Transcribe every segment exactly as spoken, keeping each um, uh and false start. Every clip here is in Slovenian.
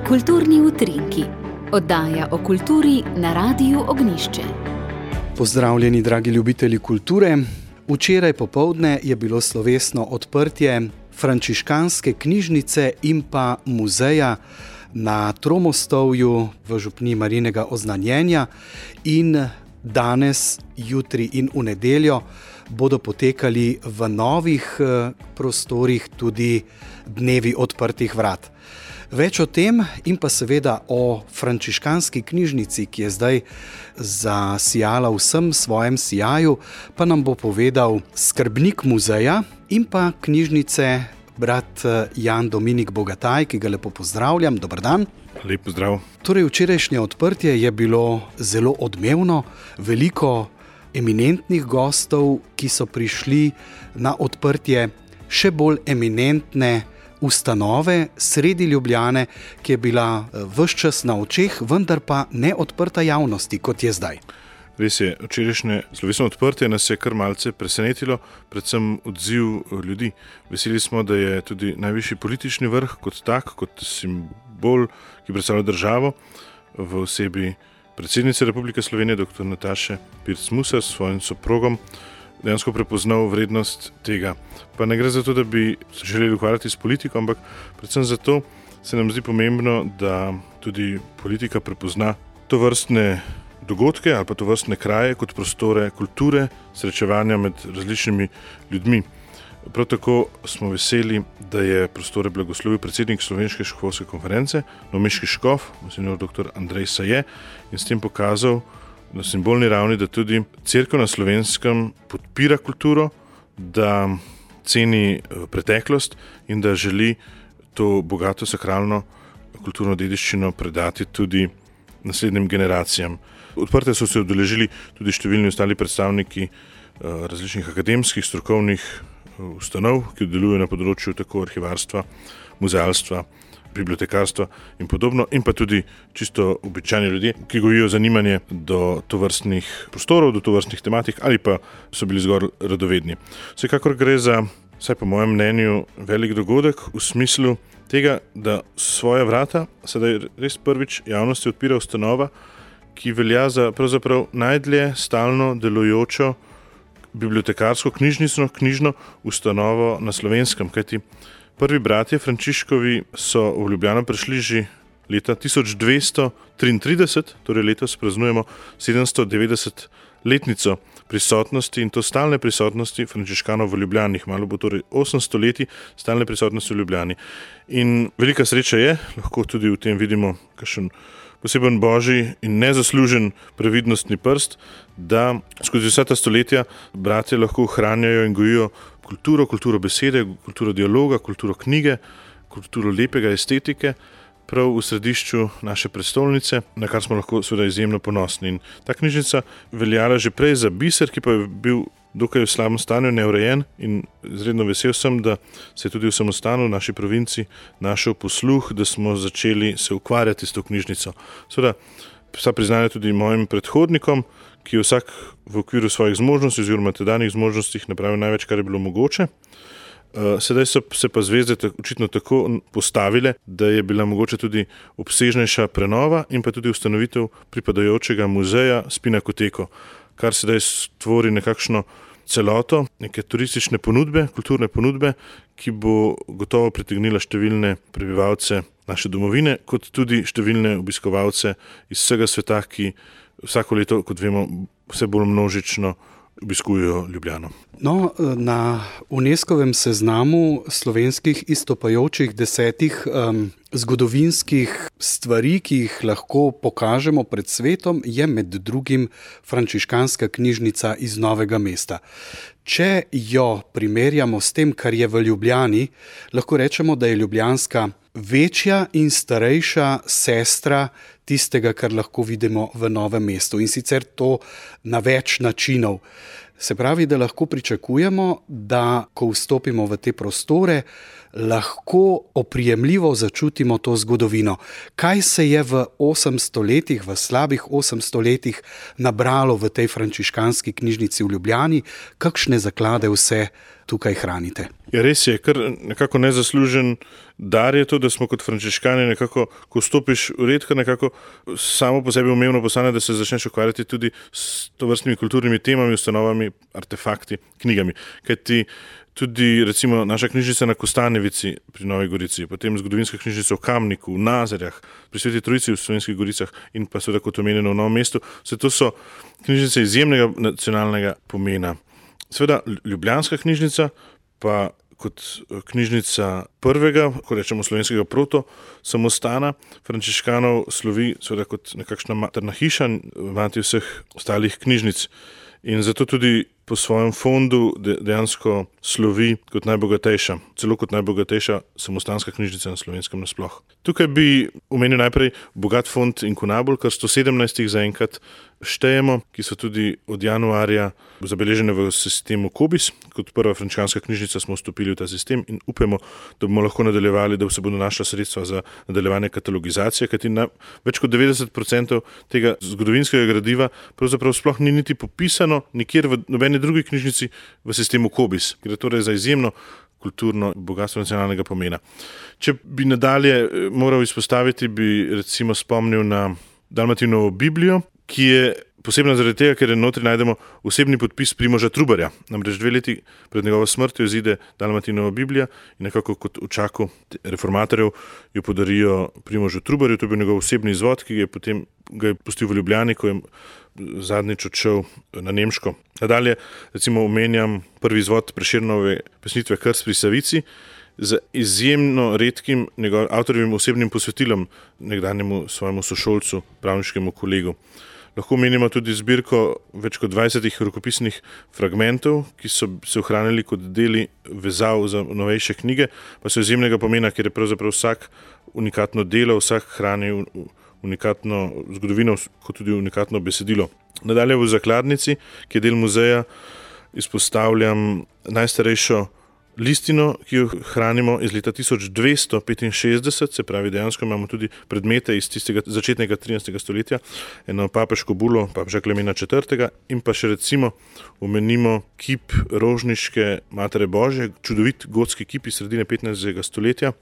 Kulturni utrinki. Oddaja o kulturi na Radiu Ognjišče. Pozdravljeni, dragi ljubitelji kulture. Včeraj popoldne je bilo slovesno odprtje frančiškanske knjižnice in pa muzeja na Tromostovju v župniji Marijinega oznanjenja in danes, jutri in v nedeljo bodo potekali v novih prostorih tudi dnevi odprtih vrat. Več o tem in pa seveda o frančiškanski knjižnici, ki je zdaj zasijala vsem svojem sijaju, pa nam bo povedal skrbnik muzeja in pa knjižnice brat Jan Dominik Bogataj, ki ga lepo pozdravljam. Dober dan. Lep pozdrav. Torej, včerajšnje odprtje je bilo zelo odmevno, veliko eminentnih gostov, ki so prišli na odprtje še bolj eminentne ustanove sredi Ljubljane, ki je bila ves čas na očeh, vendar pa ne odprta javnosti, kot je zdaj. Res je, včerajšnje slovesno odprtje nas je kar malce presenetilo, predvsem odziv ljudi. Veseli smo, da je tudi najvišji politični vrh kot tak, kot simbol, ki predstavlja državo, v osebi predsednice Republike Slovenije, dr. Nataše Pirc Musar s svojim soprogom, dejansko prepoznal vrednost tega. Pa ne gre za to, da bi se želeli ukvarjati s politiko, ampak predvsem zato se nam zdi pomembno, da tudi politika prepozna tovrstne dogodke ali pa tovrstne kraje kot prostore kulture, srečevanja med različnimi ljudmi. Prav tako smo veseli, da je prostore blagoslovil predsednik Slovenske škofovske konference, novomeški škof, monsignor dr. Andrej Saje, in s tem pokazal na simbolni ravni, da tudi cerkev na Slovenskem podpira kulturo, da ceni preteklost in da želi to bogato sakralno kulturno dediščino predati tudi naslednjim generacijam. Odprte so se udeležili tudi številni ostali predstavniki različnih akademskih, strokovnih ustanov, ki delujejo na področju tako arhivarstva, muzealstva, bibliotekarstva in podobno, in pa tudi čisto običajni ljudje, ki gojijo zanimanje do tovrstnih prostorov, do tovrstnih tematik ali pa so bili zgolj radovedni. Vsekakor gre za, vsaj po mojem mnenju, velik dogodek v smislu tega, da svoja vrata sedaj res prvič javnosti odpira ustanova, ki velja za pravzaprav najdlje stalno delujočo bibliotekarsko knjižnično knjižno ustanovo na Slovenskem, kajti prvi bratje Frančiškovi so v Ljubljano prišli že leta tisoč dvesto triintrideset, torej letos praznujemo sedemsto devetdeset letnico prisotnosti, in to stalne prisotnosti frančiškanov v Ljubljani. Malo bo torej osemsto leti stalne prisotnosti v Ljubljani. In velika sreča je, lahko tudi v tem vidimo kakšen poseben božji in nezaslužen previdnostni prst, da skozi vsa ta stoletja bratje lahko ohranjajo in gojijo kulturo, kulturo besede, kulturo dialoga, kulturo knjige, kulturo lepega estetike, prav v središču naše prestolnice, na kar smo lahko seveda izjemno ponosni. In ta knjižnica veljala že prej za biser, ki pa je bil dokaj v slabem stanju, neurejen, in izredno vesel sem, da se je tudi v samostanu v naši provinci našel posluh, da smo začeli se ukvarjati s to knjižnico. Seveda, vsa priznanja tudi mojim predhodnikom, ki je vsak v okviru svojih zmožnosti oziroma tedanjih zmožnostih napravil največ, kar je bilo mogoče. Sedaj so se pa zvezde očitno tako postavile, da je bila mogoče tudi obsežnejša prenova in pa tudi ustanovitev pripadajočega muzeja s Pinakoteko, kar sedaj stvori nekakšno celoto, neke turistične ponudbe, kulturne ponudbe, ki bo gotovo pritegnila številne prebivalce naše domovine, kot tudi številne obiskovalce iz vsega sveta, ki vsako leto, kot vemo, vse bolj množično obiskujejo Ljubljano. No, na UNESCOvem seznamu slovenskih izstopajočih desetih um, zgodovinskih stvari, ki jih lahko pokažemo pred svetom, je med drugim frančiškanska knjižnica iz Novega mesta. Če jo primerjamo s tem, kar je v Ljubljani, lahko rečemo, da je ljubljanska večja in starejša sestra tistega, kar lahko vidimo v Novem mestu, in sicer to na več načinov. Se pravi, da lahko pričakujemo, da ko vstopimo v te prostore, lahko oprijemljivo začutimo to zgodovino. Kaj se je v osemsto letih, v slabih osemsto letih nabralo v tej frančiškanski knjižnici v Ljubljani, kakšne zaklade vse tukaj hranite. Ja, res je, kar nekako nezaslužen dar je to, da smo kot frančiškani nekako, ko vstopiš v red, kar nekako samo po sebi umevno postane, da se začneš ukvarjati tudi s tovrstnimi kulturnimi temami, ustanovami, artefakti, knjigami. Kajti tudi recimo naša knjižnica na Kostanjevici pri Novi Gorici, potem zgodovinska knjižnica v Kamniku, v Nazarjah, pri Sveti Trojici v Slovenskih Goricah in pa seveda kot omenjeno v Novem mestu, vse to so knjižnice izjemnega nacionalnega pomena. Seveda ljubljanska knjižnica pa kot knjižnica prvega, ko rečemo slovenskega proto samostana frančiškanov slovi seveda kot nekakšna materna hiša, mati vseh ostalih knjižnic. In zato tudi po svojem fondu dejansko slovi kot najbogatejša, celo kot najbogatejša samostanska knjižnica na Slovenskem nasploh. Tukaj bi omenil najprej bogat fond Inkunabul, kar sto sedemnajst zaenkrat štejemo, ki so tudi od januarja zabeležene v sistemu Kobis. Kot prva frančiškanska knjižnica smo vstopili v ta sistem in upamo, da bomo lahko nadaljevali, da se bodo našla sredstva za nadaljevanje katalogizacije, kajti na več kot devetdeset procentov tega zgodovinskega gradiva pravzaprav sploh ni niti popisano nikjer v nobeni drugi knjižnici v sistemu Kobis, gre torej za izjemno kulturno bogatstvo nacionalnega pomena. Če bi nadalje moral izpostaviti, bi recimo spomnil na Dalmatinovo Biblijo, ki je posebna zaradi tega, ker je notri najdemo osebni podpis Primoža Trubarja. Namreč dve leti pred njegovo smrtjo izide Dalmatinova Biblija in nekako kot v čaku reformatorjev jo podarijo Primožu Trubarju. To je bil njegov osebni izvod, ki je potem ga je pustil v Ljubljani, ko je zadnjič odšel na Nemško. Nadalje recimo omenjam prvi izvod Prešernove pesnitve Krst pri Savici z izjemno redkim njegov avtorjevim osebnim posvetilom nekdanjemu svojemu sošolcu, pravniškemu kolegu. Lahko omenimo tudi zbirko več kot dvajsetih rokopisnih fragmentov, ki so se ohranili kot deli vezav za novejše knjige, pa so izjemnega pomena, ker je pravzaprav vsak unikatno delo, vsak hrani unikatno zgodovino, kot tudi unikatno besedilo. Nadalje v zakladnici, ki je del muzeja, izpostavljam najstarejšo listino, ki jo hranimo iz leta tisoč dvesto petinšestdeset, se pravi dejansko imamo tudi predmete iz tistega začetnega trinajstega stoletja, eno papeško bulo papeža Klemena četrtega in pa še recimo omenimo kip Rožniške Matere Božje, čudovit gotski kip iz sredine petnajstega stoletja,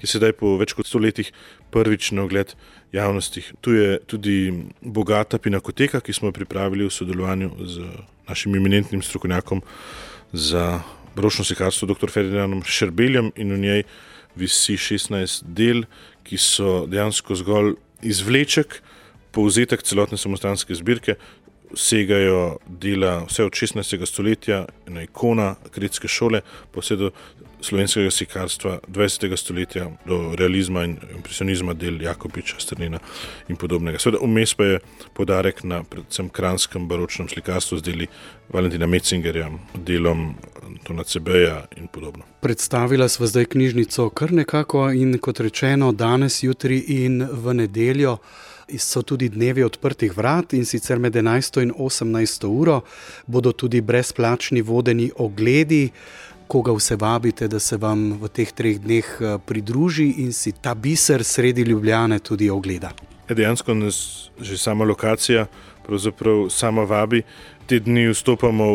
ki sedaj po več kot sto letih prvič na ogled javnosti. Tu je tudi bogata pinakoteka, ki smo jo pripravili v sodelovanju z našim eminentnim strokovnjakom za baročno slikarstvo doktor Ferdinandom Šerbeljem in v njej visi šestnajst del, ki so dejansko zgolj izvleček, povzetek celotne samostanske zbirke, segajo dela vse od šestnajstega stoletja, ena ikona kredske šole, pa vse do slovenskega slikarstva dvajsetega stoletja, do realizma in impresionizma del Jakopiča, Strnina in podobnega. Seveda vmes pa je poudarek na predvsem kranjskem baročnem slikarstvu z deli Valentina Metzingerja, delom Antona Cebeja in podobno. Predstavila sva zdaj knjižnico kar nekako in kot rečeno danes, jutri in v nedeljo so tudi dnevi odprtih vrat in sicer med enajsto in osemnajsto uro bodo tudi brezplačni vodeni ogledi. Koga vse vabite, da se vam v teh treh dneh pridruži in si ta biser sredi Ljubljane tudi ogleda? Dejansko nas že sama lokacija pravzaprav sama vabi. Te dni vstopamo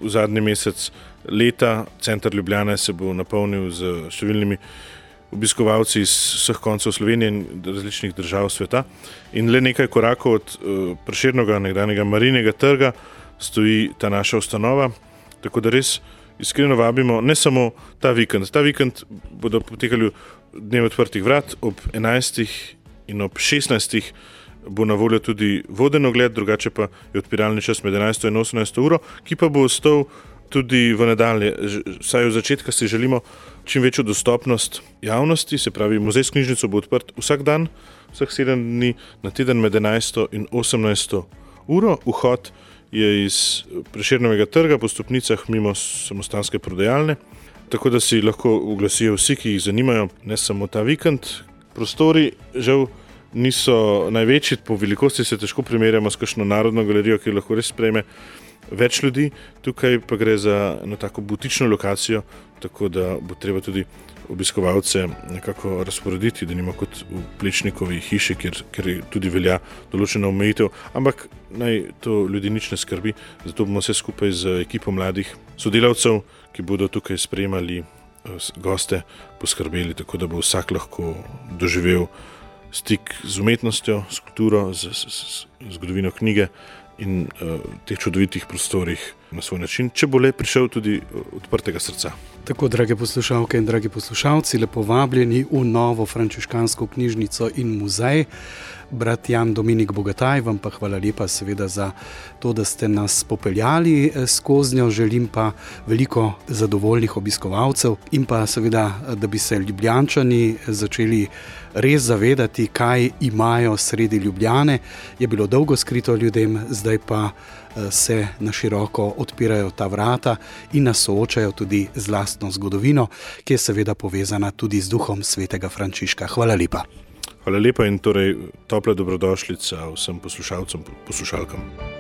v zadnji mesec leta. Center Ljubljane se bo napolnil z številnimi obiskovalci iz vseh koncev Slovenije in različnih držav sveta. In le nekaj korakov od Prešernovega nekdanjega Marijinega trga stoji ta naša ustanova, tako da res iskreno vabimo ne samo ta vikend. Ta vikend bodo potekali dnevi odprtih vrat, ob enajstih in ob šestnajstih bo na voljo tudi voden ogled, drugače pa je odpiralni čas med enajsto in osemnajsto uro, ki pa bo ostal tudi v nadalje. Vsaj od začetka si želimo čim večjo dostopnost javnosti, se pravi muzej s knjižnico bo odprt vsak dan, vseh sedem dni na teden med enajsto in osemnajsto uro. Vhod je iz Prešernovega trga po stopnicah mimo samostanske prodajalne, tako da si lahko oglasijo vsi, ki jih zanimajo, ne samo ta vikend. Prostori žal niso največji, po velikosti se težko primerjamo s kakšno narodno galerijo, ki lahko res sprejme več ljudi. Tukaj pa gre za eno tako butično lokacijo, tako da bo treba tudi obiskovalce nekako razporediti, da nima kot v Plečnikovi hiši, kjer, kjer tudi velja določena omejitev, ampak naj to ljudi nič ne skrbi, zato bomo vse skupaj z ekipo mladih sodelavcev, ki bodo tukaj sprejemali goste, poskrbeli, tako da bo vsak lahko doživel stik z umetnostjo, s kulturo, z, z, z zgodovino knjige in uh, teh čudovitih prostorih na svoj način, če bo le prišel tudi odprtega srca. Tako, drage poslušalke in dragi poslušalci, lepo vabljeni v novo frančiškansko knjižnico in muzej. Brat Jan Dominik Bogataj, vam pa hvala lepa seveda za to, da ste nas popeljali skozi njo. Želim pa veliko zadovoljnih obiskovalcev in pa seveda, da bi se Ljubljančani začeli res zavedati, kaj imajo sredi Ljubljane. Je bilo dolgo skrito ljudem, zdaj pa se na široko odpirajo ta vrata in nas soočajo tudi z lastno zgodovino, ki je seveda povezana tudi z duhom svetega Frančiška. Hvala lepa. Hvala lepa in torej topla dobrodošlica vsem poslušalcem, poslušalkam.